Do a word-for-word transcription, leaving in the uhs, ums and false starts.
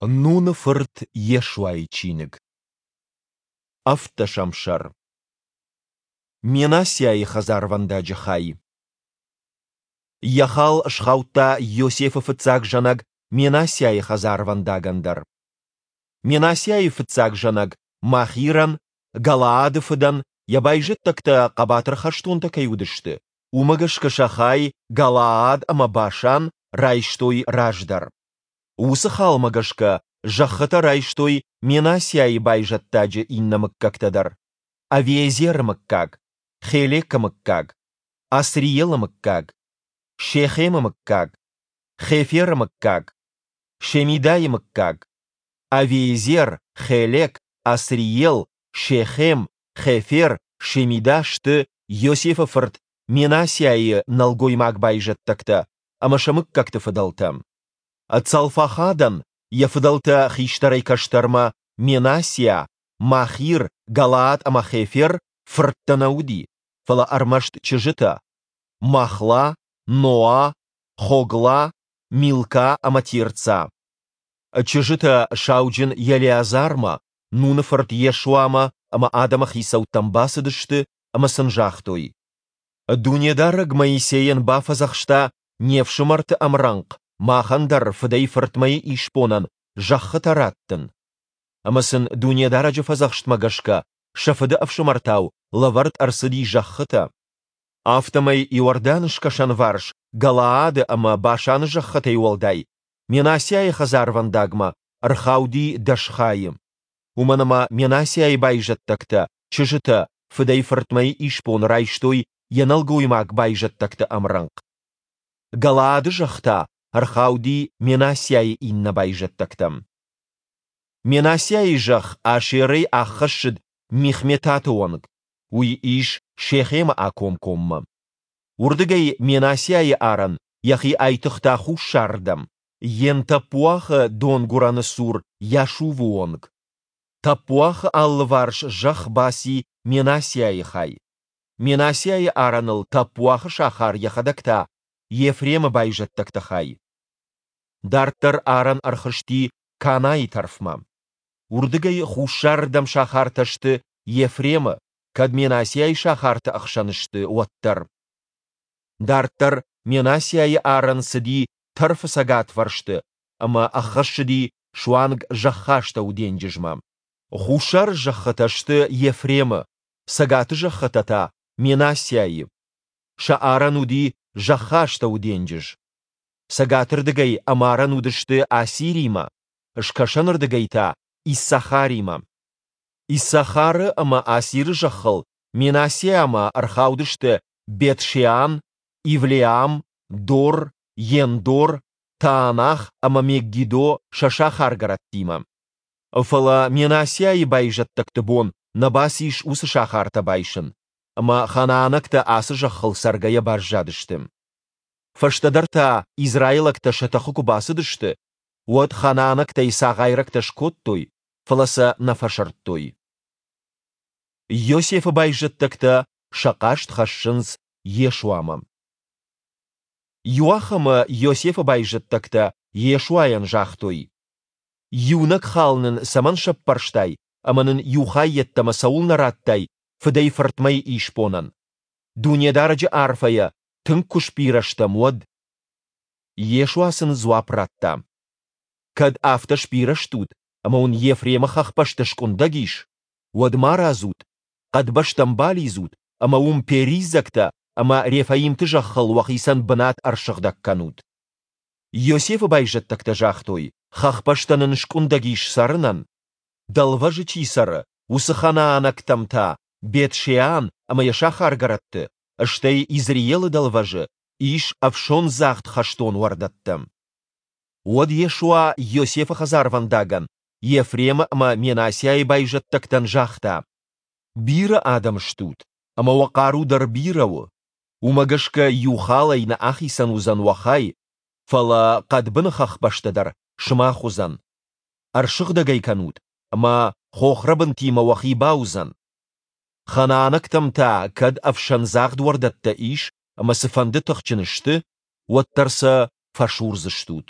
Нуны фырт Йешуайы чиныг. Ӕвддӕсӕм сӕр. Менассиайы хӕдзарвӕндаджы хай. Йӕ хал схаудта Йосефы фыццаг зӕнӕг Менассиайы хӕдзарвӕндагӕн дӕр. Менассиайы фыццаг зӕнӕг Махирӕн, Галаады фыдӕн, йӕ байзӕддӕгтӕ хъӕбатыр хӕстонтӕ кӕй уыдысты, уымӕ гӕсгӕ сӕ хай, Галаад ӕмӕ Башан, райстой раздӕр. Уыцы халмӕ гӕсгӕ зӕххытӕ райстой Менассиайы байзӕддаджы иннӕ мыггӕгтӕ дӕр: Авиезеры мыггаг, Хелекы мыггаг, Асриелы мыггаг, Шехемы мыггаг, Хеферы мыггаг, Шемидайы мыггаг. Авиезер, Хелек, Асриел, Шехем, Хефер, Шемида сты Йосефы фырт Менассиайы нӕлгоймаг байзӕддӕгтӕ ӕмӕ сӕ мыггӕгты фыдӕлтӕ. Цалфахадӕн йӕ фыдӕлтӕ хистӕрӕй-кӕстӕрмӕ, Менассиа, Махир, Галаад ӕмӕ Хефер, фырттӕ нӕ уыди, фӕлӕ ӕрмӕст чызджытӕ: Махла, Ноа, Хогла, Милка ӕмӕ Тирца. Чызджытӕ сауджын Елеазармӕ, Нуны фырт Йешуамӕ ӕмӕ адӕмы хицӕуттӕм бацыдысты ӕмӕ сын загътой: Дунедарӕг Моисейӕн бафӕдзӕхста не фсымӕрты ӕмрӕнхъ махӕн дӕр фыдӕй-фыртмӕйы исбонӕн зӕххытӕ раттын. Ӕмӕ сын Дунедарӕджы фӕдзӕхстмӕ гӕсгӕ сӕ фыды ӕфсымӕртау лӕвӕрд ӕрцыди зӕххытӕ. Афтӕмӕй Иорданы скӕсӕнварс Галаады ӕмӕ Башаны зӕххытӕй уӕлдай Менассиайы хӕдзарвӕндагмӕ ӕрхауди дӕс хайы. Уымӕн ӕмӕ Менассиайы байзӕддӕгтӕ, чызджытӕ, фыдӕй-фыртмӕйы исбон райстой йӕ нӕлгоймаг байзӕддӕгты ӕмрӕнхъ. Галаады зӕхх та ӕрхауди Менассиайы иннӕ байзӕддӕгтӕм. Менассиайы зӕхх Асерӕй аххӕссыд Михметаты онг, уый ис Шехемы акомкоммӕ. Уырдыгӕй Менассиайы арӕн йӕхи айтыгъта хуссарырдӕм, Ен-Таппуахы донгуырӕны цур Йашувы онг. Таппуахы алыварс зӕхх баци Менассиайы хай. Менассиайы арӕныл Таппуахы сахар йӕхӕдӕг та Ефремы байзӕддӕгты хай. Дарддӕр арӕн ӕрхызти Канайы тӕрфмӕ. Уырдыгӕй хуссарырдӕм сахартӕ сты Ефремы, кӕд Менассиайы сахарты ӕхсӕн сты, уӕддӕр. Дарддӕр Менассиайы арӕн цыди тӕрфы цӕгатвӕрсты ӕмӕ ӕххӕссыди суанг Зӕххастӕуы денджызмӕ. Хуссары зӕххытӕ сты Ефремы, цӕгаты зӕххытӕ та Менассиайы. Сӕ арӕн уыди Зӕххастӕуы денджыз. Цӕгатырдыгӕй ӕмарӕн уыдысты Асиримӕ, скӕсӕнырдыгӕй та Иссахаримӕ. Иссахары ӕмӕ Асиры зӕххыл Менассиамӕ ӕрхаудысты Бет-Шеан, Ивлеам, Дор, Ендор, Таанах ӕмӕ Мегиддо сӕ сахаргӕрӕттимӕ. Фӕлӕ Менассиайы байзӕддӕгты бон нӕ бацис уыцы сахартӕ байсын, ӕмӕ ханаанӕгтӕ ацы зӕххыл цӕргӕйӕ баззадысты. Фӕстӕдӕр та израилӕгтӕ сӕ тыхы куы бацыдысты, уӕд ханаанӕгтӕй цагъайрӕгтӕ скодтой, фӕлӕ сӕ нӕ фӕсырдтой. Йосефы байзӕддӕгтӕ сӕ хъаст хӕссынц Йешуамӕ. Иуахӕмы Йосефы байзӕддӕгтӕ Йешуайӕн загътой: «Иунӕг хал нын цӕмӕн сӕппӕрстай ӕмӕ нын иу хай йеддӕмӕ цӕуылнӕ радтай фыдӕй-фыртмӕйы исбонӕн? Дунедарӕджы арфӕйӕ тынг куы сбирӕ стӕм, уӕд?» Йешуа сын дзуапп радта: «Кӕд афтӕ сбирӕ стут, ӕмӕ уын Ефремы хӕхбӕстӕ скъуындӕг ис, уӕд марадзут, хъӕдбӕстӕм балидзут ӕмӕ уым периззӕгтӕ ӕмӕ рефаимты зӕххыл уӕхицӕн бынат ӕрсыгъдӕг кӕнут». Йосефы байзӕддӕгтӕ загътой: «Хӕхбӕстӕ нын скъуындӕг ис цӕрынӕн. Дӕлвӕзы чи цӕры, уыцы ханаанӕгтӕм та Бет-Шеан ӕмӕ йӕ сахаргӕрӕтты, стӕй Изреелы дӕлвӕзы, ис ӕфсондзагъд хӕстон уӕрдӕттӕ». Уӕд Йешуа Йосефы хӕдзарвӕндагӕн, Ефремы ӕмӕ Менассиайы байзӕддӕгтӕн загъта: «Бирӕ адӕм стут, ӕмӕ уӕ хъару дӕр бирӕ у. Уымӕ гӕсгӕ иу халӕй нӕ ахицӕн уыдзӕн уӕ хай, фӕлӕ хъӕдбыны хӕхбӕстӕ дӕр сымах уыдзӕн. Ӕрсыгъдӕг ӕй кӕнут, ӕмӕ хохрӕбынтимӕ уӕхи бауыдзӕн. Ханаанӕгтӕм та кӕд ӕфсӕндзагъд уӕрдӕттӕ ис ӕмӕ цыфӕнды тыхджын сты, уӕддӕр сӕ фӕсурдзыстут».